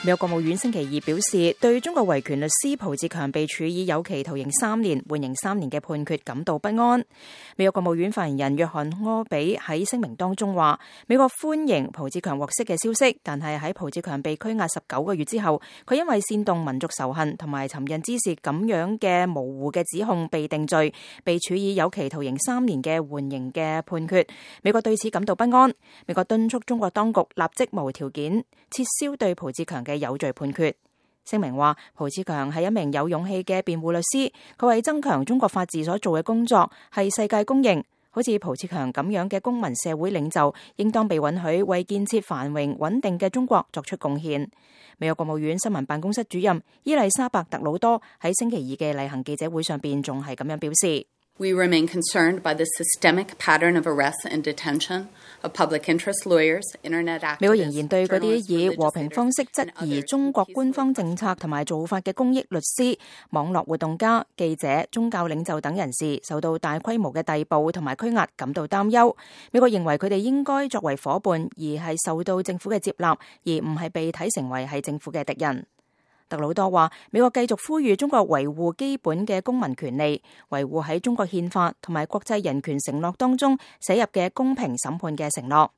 美國國務院星期二表示，對中國維權律師蒲志強被處以有期徒刑3年、緩刑3年嘅判決感到不安。美國國務院發言人約翰柯比喺聲明當中話，美國歡迎蒲志強獲釋嘅消息，但係喺蒲志強被拘押19個月之後，佢因為煽動民族仇恨同埋尋釁滋事咁樣嘅模糊嘅指控被定罪，被處以有期徒刑3年嘅緩刑嘅判決。美國對此感到不安。美國敦促中國當局立即無條件撤銷對蒲志強嘅有罪判決。聲明話，蒲志強係一名有勇氣嘅辯護律師，佢為增強中國法治所做嘅工作係世界公認。好似蒲志強咁樣嘅公民社會領袖，應當被允許為建設繁榮穩定嘅中國作出貢獻。美國國務院新聞辦公室主任伊麗莎白特魯多喺星期二嘅例行記者會上邊仲係咁樣表示。We remain concerned by the systemic pattern of arrests and detention of public interest lawyers, internet activists, 美國仍然對嗰啲以和平方式質疑中國官方政策同埋做法嘅公益律師、網絡活動家、記者、宗教領袖等人士受到大規模嘅逮捕同埋拘押感到擔憂。美國認為佢哋應該作為夥伴，而係受到政府嘅接納，而唔係被睇成為係政府嘅敵人。特魯多話，美國繼續呼籲中國維護基本嘅公民權利，維護喺中國憲法同埋國際人權承諾當中寫入嘅公平審判嘅承諾。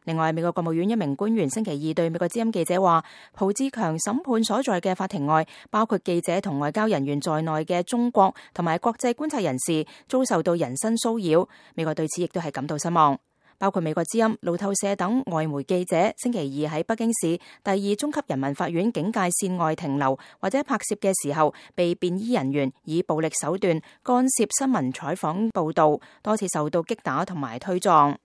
另外，美國國務院一名官員星期二對美國之音記者話，蒲志強審判所在嘅法庭外，包括記者同外交人員在內嘅中國同埋國際觀察人士遭受到人身騷擾。美國對此亦都係感到失望。包括美國之音、路透社等外媒記者星期二喺北京市第2中級人民法院警戒線外停留或者拍攝嘅時候，被便衣人員以暴力手段干涉新聞採訪報道，多次受到擊打同埋推撞。